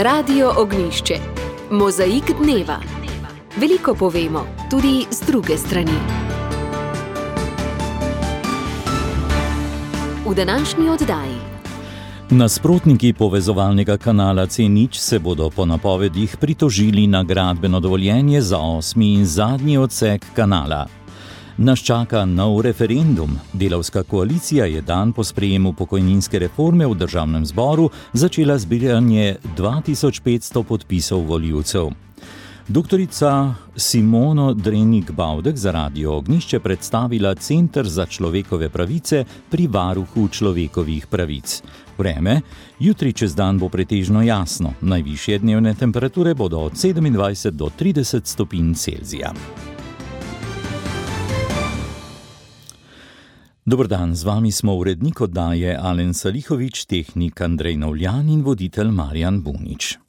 Radio Ognjišče. Mozaik dneva. Veliko povemo, tudi z druge strani. V današnji oddaji. Nasprotniki povezovalnega kanala C0 se bodo po napovedih pritožili na gradbeno dovoljenje za 8. in zadnji odsek kanala. Nas čaka nov referendum. Delavska koalicija je dan po sprejemu pokojninske reforme v državnem zboru začela zbiranje 2500 podpisov volivcev. Doktorica Simono Drenik-Bavdek za Radio Ognjišče predstavila Center za človekove pravice pri Varuhu človekovih pravic. Vreme, jutri čez dan bo pretežno jasno. Najvišje dnevne temperature bodo od 27 do 30 stopinj Celzija. Dober dan, z vami smo urednik oddaje Alen Salihovič, tehnik Andrej Novljan in voditelj Marjan Bunič.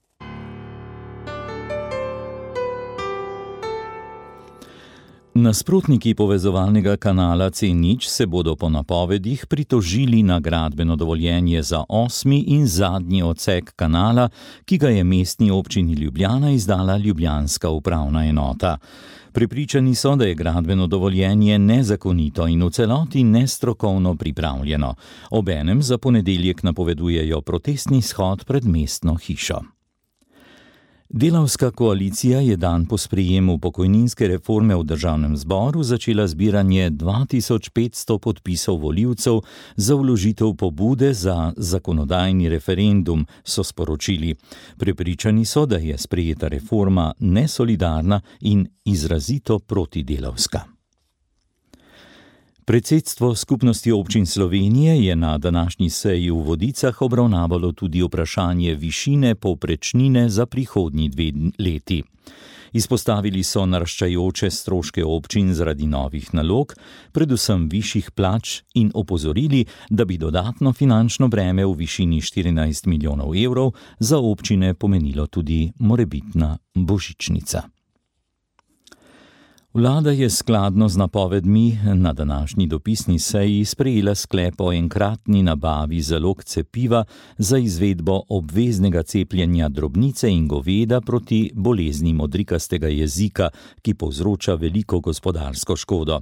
Nasprotniki povezovalnega kanala C0 se bodo po napovedih pritožili na gradbeno dovoljenje za 8. in zadnji odsek kanala, ki ga je mestni občini Ljubljana izdala ljubljanska upravna enota. Prepričani so, da je gradbeno dovoljenje nezakonito in v celoti nestrokovno pripravljeno. Obenem za ponedeljek napovedujejo protestni shod pred mestno hišo. Delavska koalicija je dan po sprejemu pokojninske reforme v državnem zboru začela zbiranje 2500 podpisov volivcev za vložitev pobude za zakonodajni referendum, so sporočili. Prepričani so, da je sprejeta reforma nesolidarna in izrazito protidelavska. Predsedstvo Skupnosti občin Slovenije je na današnji seji v Vodicah obravnavalo tudi vprašanje višine povprečnine za prihodnji 2 leti. Izpostavili so naraščajoče stroške občin zaradi novih nalog, predvsem višjih plač, in opozorili, da bi dodatno finančno breme v višini 14 milijonov evrov za občine pomenilo tudi morebitna božičnica. Vlada je skladno z napovedmi na današnji dopisni seji sprejela sklep o enkratni nabavi zalog cepiva za izvedbo obveznega cepljenja drobnice in goveda proti bolezni modrikastega jezika, ki povzroča veliko gospodarsko škodo.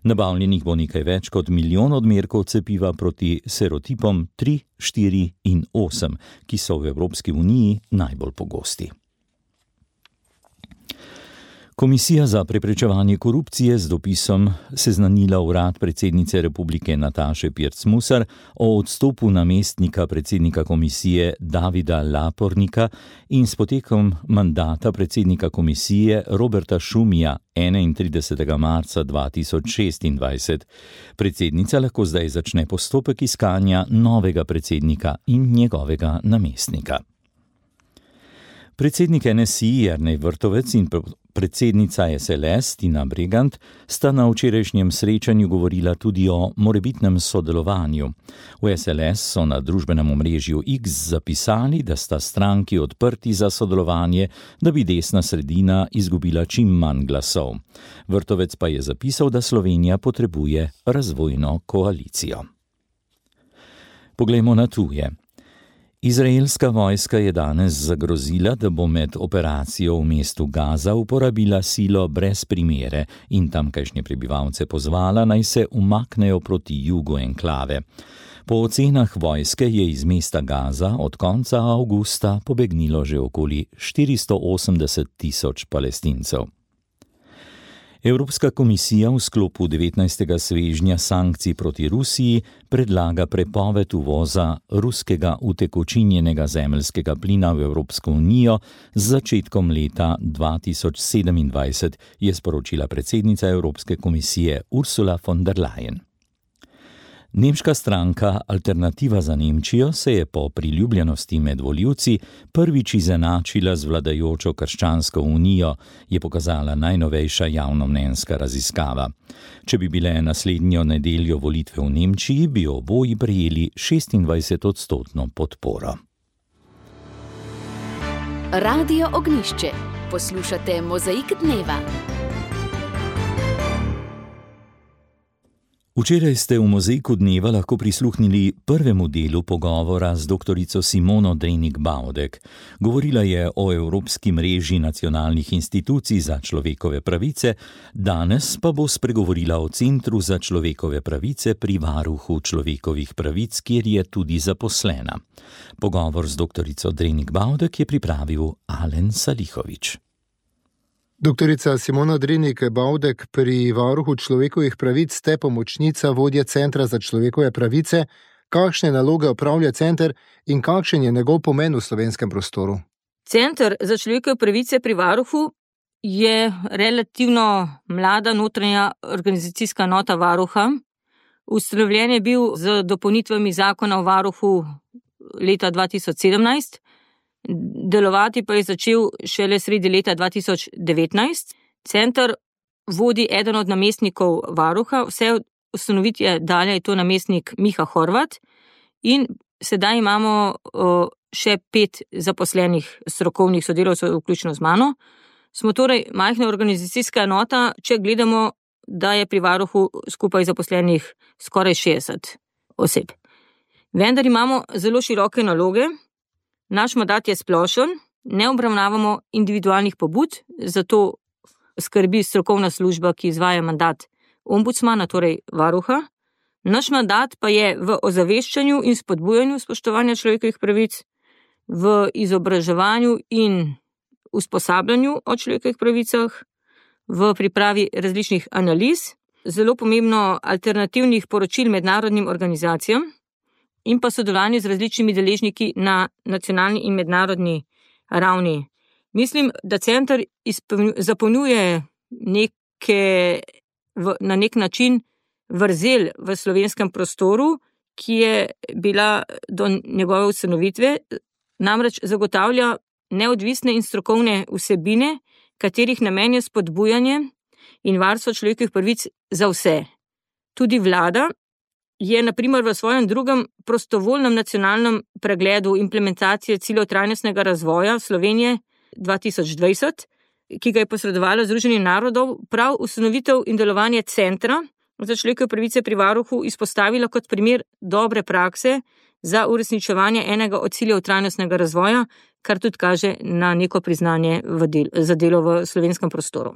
Nabavljenih bo nekaj več kot 1 milijon odmerkov cepiva proti serotipom 3, 4 in 8, ki so v Evropski uniji najbolj pogosti. Komisija za preprečevanje korupcije z dopisom seznanila urad predsednice republike Nataše Pirc-Musar o odstopu namestnika predsednika komisije Davida Lapornika in s potekom mandata predsednika komisije Roberta Šumija 31. marca 2026. Predsednica lahko zdaj začne postopek iskanja novega predsednika in njegovega namestnika. Predsednik NSI Jernej Vrtovec in predsednica SLS Tina Bregant sta na včerajšnjem srečanju govorila tudi o morebitnem sodelovanju. V SLS so na družbenem omrežju X zapisali, da sta stranki odprti za sodelovanje, da bi desna sredina izgubila čim manj glasov. Vrtovec pa je zapisal, da Slovenija potrebuje razvojno koalicijo. Poglejmo na tuje. Izraelska vojska je danes zagrozila, da bo med operacijo v mestu Gaza uporabila silo brez primere in tamkajšnje prebivalce pozvala, naj se umaknejo proti jugu enklave. Po ocenah vojske je iz mesta Gaza od konca avgusta pobegnilo že okoli 480 tisoč Palestincev. Evropska komisija v sklopu 19. svežnja sankcij proti Rusiji predlaga prepoved uvoza ruskega utekočinjenega zemeljskega plina v Evropsko unijo z začetkom leta 2027, je sporočila predsednica Evropske komisije Ursula von der Leyen. Nemška stranka Alternativa za Nemčijo se je po priljubljenosti med volivci prvič izenačila z vladajočo Krščansko unijo, je pokazala najnovejša javnomnenjska raziskava. Če bi bile naslednjo nedeljo volitve v Nemčiji, bi oboji prejeli 26% podporo. Radio Ognjišče. Poslušate Mozaik dneva. Včeraj ste v Mozaiku dneva lahko prisluhnili prvemu delu pogovora z doktorico Simono Drenik-Baudek. Govorila je o Evropski mreži nacionalnih institucij za človekove pravice, danes pa bo spregovorila o Centru za človekove pravice pri Varuhu človekovih pravic, kjer je tudi zaposlena. Pogovor z doktorico Drenik-Baudek je pripravil Alen Salihović. Doktorica Simona Drenik-Baudek, pri Varuhu človekovih pravic ste pomočnica vodje Centra za človekove pravice. Kakšne naloge opravlja center in kakšen je njegov pomen v slovenskem prostoru? Center za človekove pravice pri Varuhu je relativno mlada notranja organizacijska enota Varuha. Ustanovljen je bil z dopolnitvami zakona o Varuhu leta 2017. Delovati pa je začel šele sredi leta 2019. Center vodi eden od namestnikov Varuha, vse od ustanovitve dalje je to namestnik Miha Horvat in sedaj imamo še 5 zaposlenih strokovnih sodelavcev, vključno z mano. Smo torej majhna organizacijska enota, če gledamo, da je pri Varuhu skupaj zaposlenih skoraj 60 oseb. Vendar imamo zelo široke naloge. Naš mandat je splošen, ne obravnavamo individualnih pobud, zato skrbi strokovna služba, ki izvaja mandat ombudsmana, torej Varuha. Naš mandat pa je v ozaveščanju in spodbujanju spoštovanja človekovih pravic, v izobraževanju in usposabljanju o človekovih pravicah, v pripravi različnih analiz, zelo pomembno alternativnih poročil mednarodnim organizacijam, in pa sodelovanje z različnimi deležniki na nacionalni in mednarodni ravni. Mislim, da center zapolnjuje na nek način vrzel v slovenskem prostoru, ki je bila do njegove ustanovitve, namreč zagotavlja neodvisne in strokovne vsebine, katerih namen je spodbujanje in varstvo človekovih pravic za vse. Tudi vlada je na primer v svojem drugem prostovoljnem nacionalnem pregledu implementacije ciljev trajnostnega razvoja Slovenije 2020, ki ga je posredovala Združenih narodov, prav ustanovitev in delovanje Centra za človekove pravice pri Varuhu izpostavila kot primer dobre prakse za uresničevanje enega od ciljev trajnostnega razvoja, kar tudi kaže na neko priznanje za delo v slovenskem prostoru.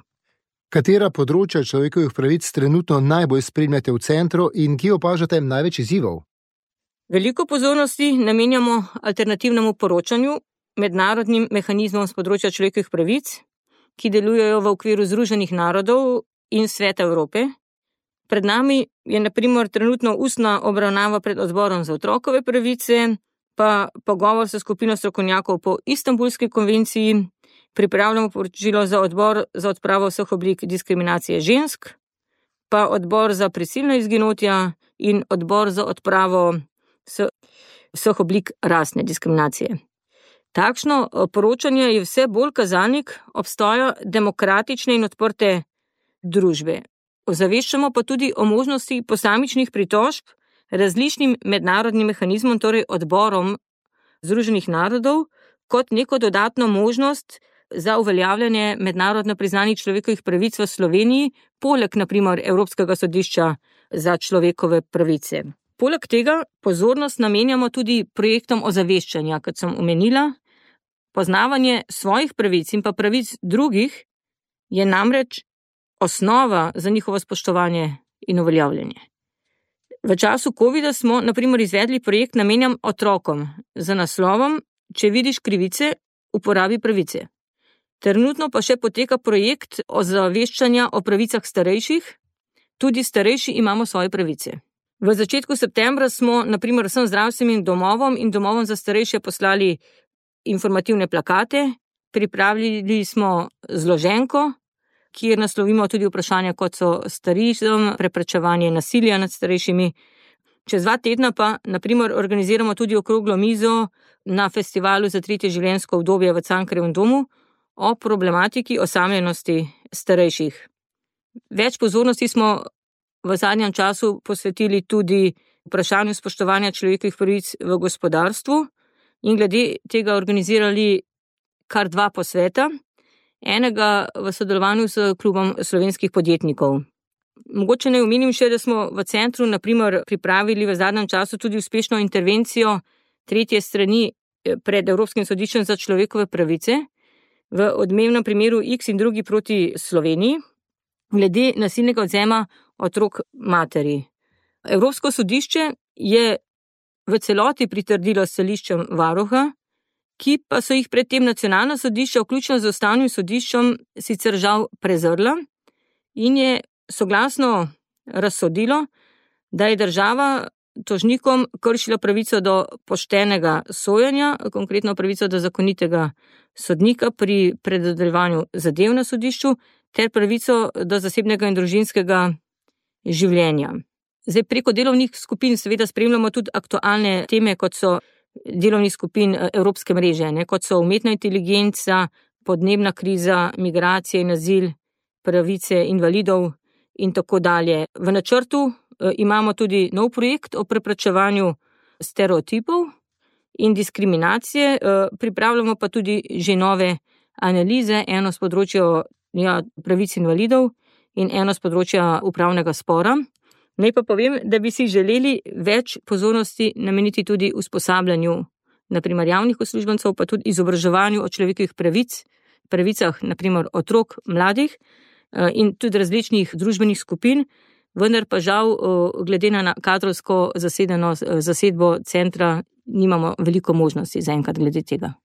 Katera področja človekovih pravic trenutno najbolj spremljate v centru in kje opažate največ izzivov? Veliko pozornosti namenjamo alternativnemu poročanju, mednarodnim mehanizmom z področja človekovih pravic, ki delujejo v okviru Združenih narodov in Sveta Evrope. Pred nami je na primer trenutno ustna obravnava pred odborom za otrokove pravice, pa pogovor s skupino strokovnjakov po Istanbulski konvenciji, pripravljamo poročilo za odbor za odpravo vseh oblik diskriminacije žensk, pa odbor za prisilna izginotja in odbor za odpravo vseh oblik rasne diskriminacije. Takšno poročanje je vse bolj kazalnik obstoja demokratične in odprte družbe. Ozaveščamo pa tudi o možnosti posamičnih pritožb različnim mednarodnim mehanizmom, torej odborom Združenih narodov, kot neko dodatno možnost za uveljavljanje mednarodno priznanih človekovih pravic v Sloveniji, poleg na primer Evropskega sodišča za človekove pravice. Poleg tega pozornost namenjamo tudi projektom ozaveščanja, kot sem omenila. Poznavanje svojih pravic in pa pravic drugih je namreč osnova za njihovo spoštovanje in uveljavljanje. V času covida smo na primer izvedli projekt namenjen otrokom z naslovom Če vidiš krivice, uporabi pravice. Trenutno pa še poteka projekt ozaveščanja o pravicah starejših. Tudi starejši imamo svoje pravice. V začetku septembra smo na primer vsem zdravstvenim domovom in domovom za starejše poslali informativne plakate, pripravili smo zloženko, kjer naslovimo tudi vprašanja, kot so starizem, preprečevanje nasilja nad starejšimi. Čez 2 tedna pa na primer organiziramo tudi okroglo mizo na festivalu za 3. življenjsko obdobje v Cankarjevem domu o problematiki osamljenosti starejših. Več pozornosti smo v zadnjem času posvetili tudi vprašanju spoštovanja človekovih pravic v gospodarstvu in glede tega organizirali kar 2 posveta, enega v sodelovanju s klubom slovenskih podjetnikov. Mogoče naj omenim še, da smo v centru naprimer pripravili v zadnjem času tudi uspešno intervencijo tretje strani pred Evropskim sodiščem za človekove pravice v odmevnem primeru X in drugi proti Sloveniji glede nasilnega odvzema otrok materi. Evropsko sodišče je v celoti pritrdilo stališčem varuha, ki pa so jih predtem nacionalna sodišča, vključno z ustavnim sodiščem, sicer žal prezrla in je soglasno razsodilo, da je država tožnikom kršila pravico do poštenega sojenja, konkretno pravico do zakonitega sodnika pri predodrevanju zadev na sodišču, ter pravico do zasebnega in družinskega življenja. Zdaj, preko delovnih skupin seveda spremljamo tudi aktualne teme, kot so delovnih skupin Evropske mreže, kot so umetna inteligenca, podnebna kriza, migracije in azil, pravice invalidov in tako dalje. V načrtu imamo tudi nov projekt o preprečevanju stereotipov in diskriminacije, pripravljamo pa tudi že nove analize, eno z področja pravic invalidov in eno z področja upravnega spora. Naj pa povem, da bi si želeli več pozornosti nameniti tudi usposabljanju, naprimer javnih uslužbencev, pa tudi izobraževanju o človekovih pravicah, naprimer otrok, mladih in tudi različnih družbenih skupin, vendar pa žal, glede na kadrovsko zasedbo centra, nimamo veliko možnosti zaenkrat glede tega.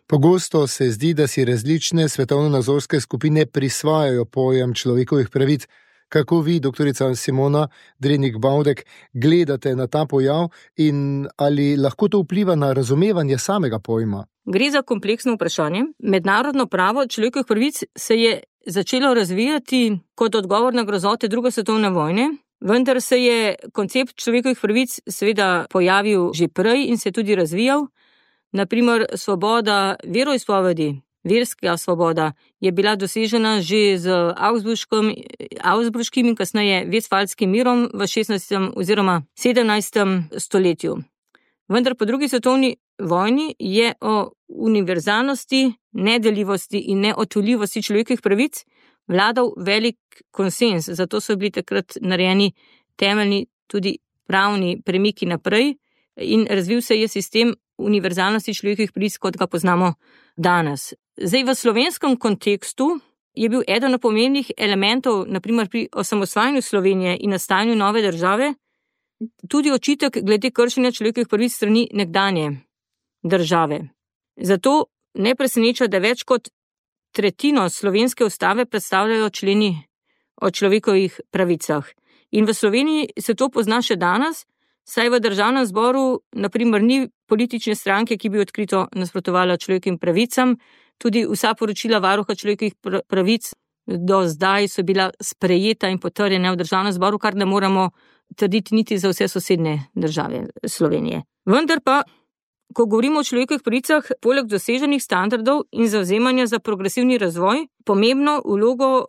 Pogosto se zdi, da si različne svetovno-nazorske skupine prisvajajo pojem človekovih pravic. Kako vi, doktorica Simona Drenik-Baudek, gledate na ta pojav in ali lahko to vpliva na razumevanje samega pojma? Gre za kompleksno vprašanje. Mednarodno pravo človekovih pravic se je začelo razvijati kot odgovor na grozote druge svetovne vojne, vendar se je koncept človekovih pravic seveda pojavil že prej in se tudi razvijal. Naprimer, svoboda veroizpovedi, verska svoboda je bila dosežena že z Augsburškim in kasneje Vestfalskim mirom v 16. oziroma 17. stoletju. Vendar po drugi svetovni vojni je o univerzalnosti, nedeljivosti in neodtujljivosti človekovih pravic vladal velik konsenz, zato so bili takrat narejeni temeljni tudi pravni premiki naprej in razvil se je sistem univerzalnosti človekovih pravic, kot ga poznamo danes. Zdaj, v slovenskem kontekstu je bil eden od pomembnih elementov, naprimer pri osamosvajanju Slovenije in nastajanju nove države, tudi očitek glede kršenja človekovih pravic strani nekdanje države. Zato ne preseneča, da več kot tretjino slovenske ustave predstavljajo členi o človekovih pravicah. In v Sloveniji se to pozna še danes, saj v državnem zboru naprimer ni politične stranke, ki bi odkrito nasprotovala človekovim pravicam. Tudi vsa poročila varuha človekovih pravic do zdaj so bila sprejeta in potrjena v državnem zboru, kar ne moramo trditi niti za vse sosednje države Slovenije. Vendar pa, ko govorimo o človekovih pravicah, poleg doseženih standardov in zavzemanja za progresivni razvoj, pomembno vlogo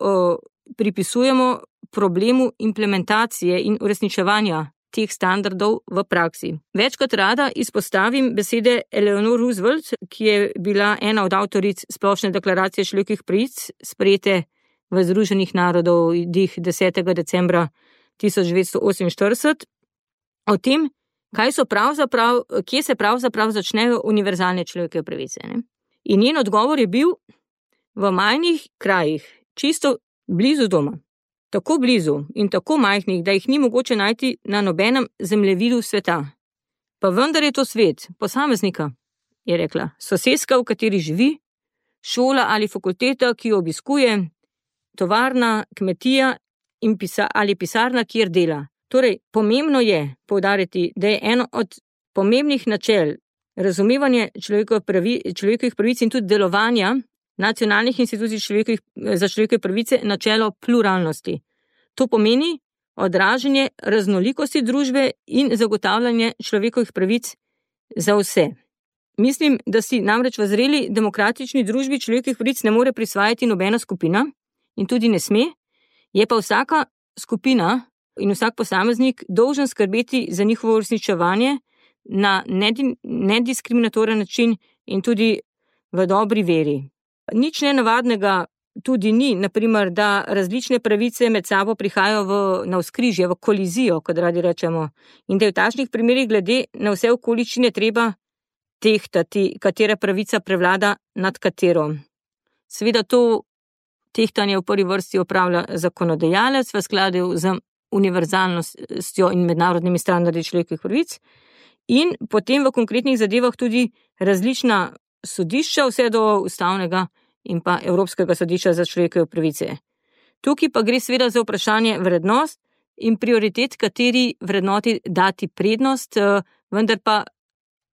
pripisujemo problemu implementacije in uresničevanja teh standardov v praksi. Večkrat rada izpostavim besede Eleanor Roosevelt, ki je bila ena od avtoric Splošne deklaracije človekovih pravic, sprejete v Združenih narodih 10. decembra 1948, o tem, kje se pravzaprav začnejo univerzalne človekove pravice. In njen odgovor je bil: v majhnih krajih, čisto blizu doma. Tako blizu in tako majhnih, da jih ni mogoče najti na nobenem zemljevidu sveta. Pa vendar je to svet posameznika, je rekla, soseska, v kateri živi, šola ali fakulteta, ki jo obiskuje, tovarna, kmetija ali pisarna, kjer dela. Torej, pomembno je poudariti, da je eno od pomembnih načel razumevanje človekovih pravic in tudi delovanja nacionalnih institucij za človekove pravice načelo pluralnosti. To pomeni odražanje raznolikosti družbe in zagotavljanje človekovih pravic za vse. Mislim, da si namreč v zreli demokratični družbi človekovih pravic ne more prisvajati nobena skupina in tudi ne sme, je pa vsaka skupina in vsak posameznik dolžen skrbeti za njihovo uresničevanje na nediskriminatoren način in tudi v dobri veri. Nič nenavadnega tudi ni, naprimer, da različne pravice med sabo prihajajo v navzkrižje, v kolizijo, kot radi rečemo. In da je v takšnih primerih glede na vse okoliščine treba tehtati, katera pravica prevlada nad katero. Seveda to tehtanje v prvi vrsti opravlja zakonodajalec v skladu z univerzalnostjo in mednarodnimi standardi človekovih pravic in potem v konkretnih zadevah tudi različna sodišča, vse do ustavnega in pa Evropskega sodišča za človekove pravice. Tukaj pa gre seveda za vprašanje vrednost in prioritet, kateri vrednoti dati prednost, vendar pa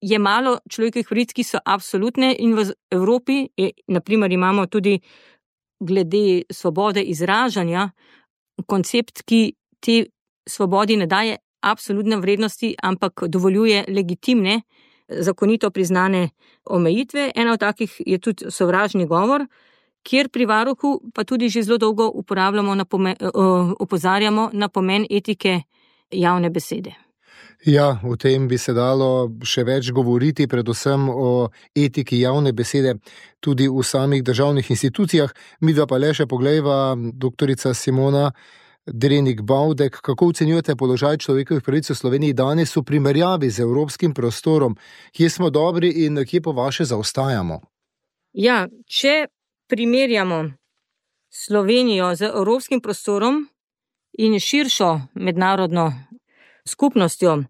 je malo človekovih pravic, ki so absolutne in v Evropi, naprimer imamo tudi glede svobode izražanja, koncept, ki te svobodi ne daje absolutne vrednosti, ampak dovoljuje legitimne, zakonito priznane omejitve. Ena od takih je tudi sovražni govor, kjer pri varuhu pa tudi že zelo dolgo opozarjamo na pomen etike javne besede. Ja, o tem bi se dalo še več govoriti, predvsem o etiki javne besede tudi v samih državnih institucijah. Midva pa le še poglejva, doktorica Simona Drenik-Baudek, kako ocenjujete položaj človekovih pravic v Sloveniji danes v primerjavi z evropskim prostorom? Kje smo dobri in kje po vaše zaostajamo? Ja, če primerjamo Slovenijo z evropskim prostorom in širšo mednarodno skupnostjo,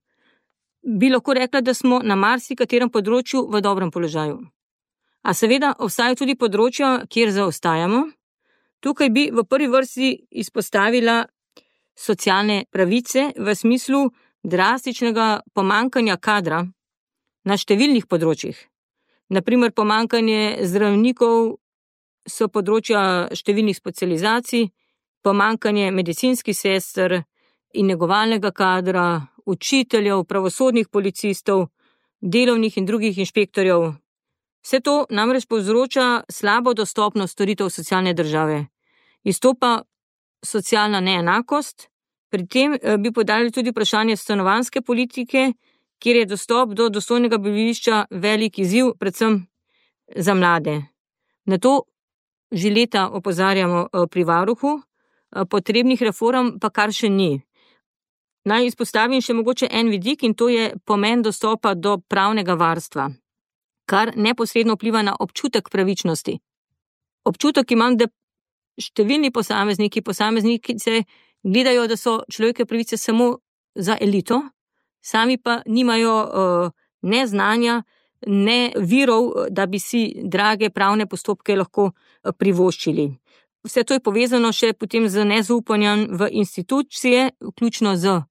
bi lahko rekla, da smo na marsikaterem področju v dobrem položaju. A seveda obstajajo tudi področja, kjer zaostajamo. Tukaj bi v prvi vrsti izpostavila socialne pravice v smislu drastičnega pomanjkanja kadra na številnih področjih. Naprimer, pomanjkanje zdravnikov so področja številnih specializacij, pomanjkanje medicinskih sester in negovalnega kadra, učiteljev, pravosodnih policistov, delovnih in drugih inšpektorjev. Vse to namreč povzroča slabo dostopnost storitev socialne države. Izstopa socialna neenakost, pri tem bi podali tudi vprašanje stanovanjske politike, kjer je dostop do dostojnega bivališča velik izziv, predvsem za mlade. Na to že leta opozarjamo pri varuhu, potrebnih reform pa kar še ni. Naj izpostavim še mogoče en vidik in to je pomen dostopa do pravnega varstva, kar neposredno vpliva na občutek pravičnosti. Občutek imam, da številni posamezniki se gledajo, da so človekove pravice samo za elito, sami pa nimajo ne znanja, ne virov, da bi si drage pravne postopke lahko privoščili. Vse to je povezano še potem z nezaupanjem v institucije, vključno z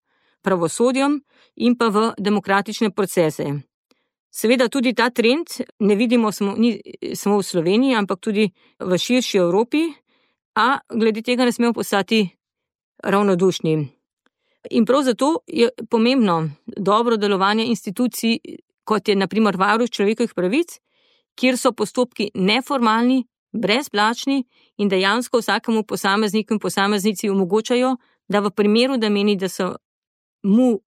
pravosodjem in pa v demokratične procese. Seveda tudi ta trend ne vidimo ni samo v Sloveniji, ampak tudi v širši Evropi, a glede tega ne smemo postati ravnodušni. In prav zato je pomembno dobro delovanje institucij, kot je na primer Varuh človekovih pravic, kjer so postopki neformalni, brezplačni in dejansko vsakemu posamezniku in posameznici omogočajo, da v primeru, da meni, da so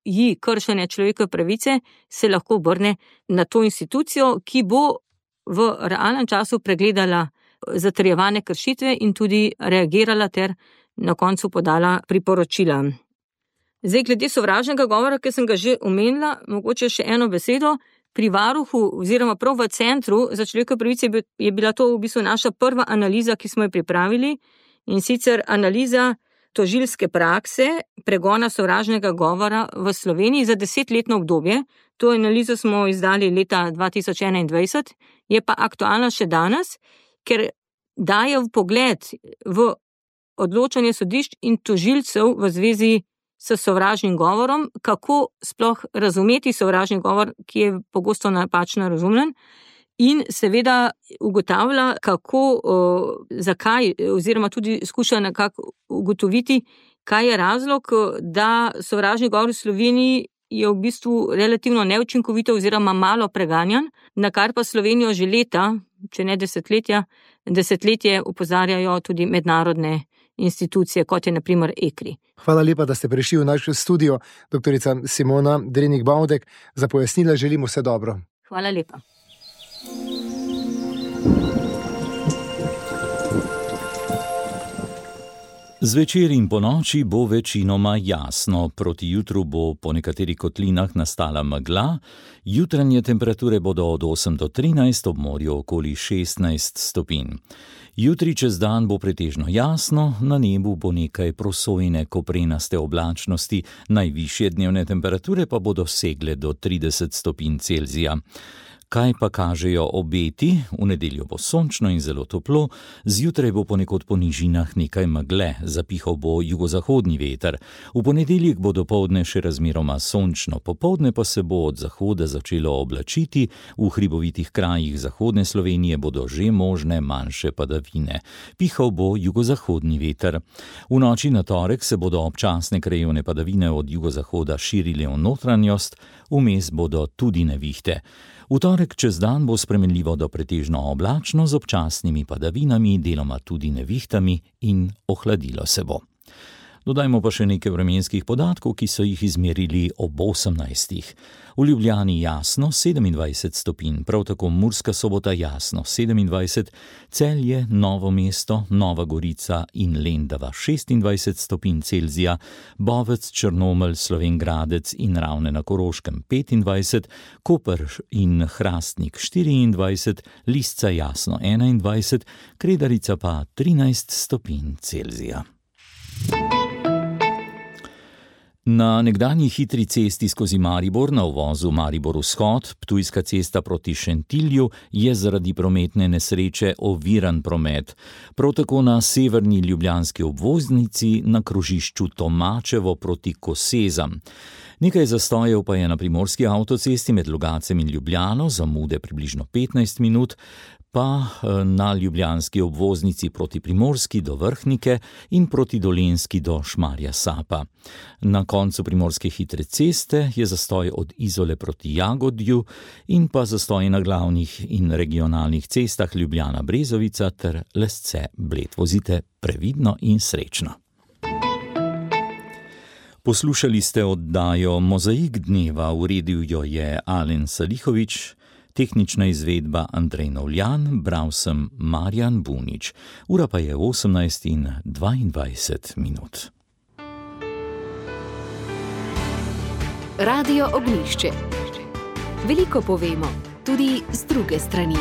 ji kršene človekove pravice, se lahko obrne na to institucijo, ki bo v realnem času pregledala zatrjevane kršitve in tudi reagirala ter na koncu podala priporočila. Zdaj, glede sovražnega govora, ki sem ga že omenila, mogoče še eno besedo. Pri varuhu oziroma prav v Centru za človekove pravice je bila to v bistvu naša prva analiza, ki smo jo pripravili, in sicer analiza tožilske prakse pregona sovražnega govora v Sloveniji za 10-letno obdobje. To analizo smo izdali leta 2021, je pa aktualna še danes, ker daje vpogled v odločanje sodišč in tožilcev v zvezi s sovražnim govorom, kako sploh razumeti sovražni govor, ki je pogosto napačno razumljen, in seveda ugotavlja, zakaj, oziroma tudi skuša nekako ugotoviti, kaj je razlog, da sovražni govor v Sloveniji je v bistvu relativno neučinkovito oziroma malo preganjan, na kar pa Slovenijo že leta, če ne desetletje opozarjajo tudi mednarodne institucije, kot je na primer ECRI. Hvala lepa, da ste prišli v naš studio, doktorica Simona Drenik-Baudek. Za pojasnila želimo vse dobro. Hvala lepa. Zvečer in ponoči bo večinoma jasno, proti jutru bo po nekaterih kotlinah nastala megla, jutranje temperature bodo od 8 do 13, ob morju okoli 16 stopinj. Jutri čez dan bo pretežno jasno, na nebu bo nekaj prosojne koprenaste oblačnosti, najvišje dnevne temperature pa bodo segle do 30 stopinj Celzija. Kaj pa kažejo obeti? V nedeljo bo sončno in zelo toplo, zjutraj bo ponekod po nižinah nekaj megle, zapihal bo jugozahodni veter. V ponedeljek bo dopoldne še razmeroma sončno, popoldne pa se bo od zahoda začelo oblačiti, v hribovitih krajih zahodne Slovenije bodo že možne manjše padavine. Pihal bo jugozahodni veter. V noči na torek se bodo občasne krajevne padavine od jugozahoda širile v notranjost, vmes bodo tudi nevihte. V torek čez dan bo spremenljivo do pretežno oblačno z občasnimi padavinami, deloma tudi nevihtami in ohladilo se bo. Dodajmo pa še nekaj vremenskih podatkov, ki so jih izmerili ob 18. V Ljubljani jasno 27 stopinj, prav tako Murska Sobota jasno 27, Celje, Novo mesto, Nova Gorica in Lendava 26 stopinj Celzija, Bovec, Črnomelj, Slovenj Gradec in Ravne na Koroškem 25, Koper in Hrastnik 24, Lisca jasno 21, Kredarica pa 13 stopinj Celzija. Na nekdanji hitri cesti skozi Maribor na uvozu Maribor-Vzhod, Ptujska cesta proti Šentilju, je zaradi prometne nesreče oviran promet. Prav tako na severni ljubljanski obvoznici na krožišču Tomačevo proti Kosezam. Nekaj zastojev pa je na primorski avtocesti med Logacem in Ljubljano, zamude približno 15 minut, pa na ljubljanski obvoznici proti Primorski do Vrhnike in proti Dolenjski do Šmarja Sapa. Na koncu primorske hitre ceste je zastoj od Izole proti Jagodju in pa zastoj na glavnih in regionalnih cestah Ljubljana-Brezovica ter Lesce-Bled. Vozite previdno in srečno. Poslušali ste oddajo Mozaik dneva, uredil jo je Alen Salihovič, tehnična izvedba Andrej Novljan, bral sem Marjan Bunič. Ura pa je 18:22 minut. Radio Ognjišče. Veliko povemo, tudi z druge strani.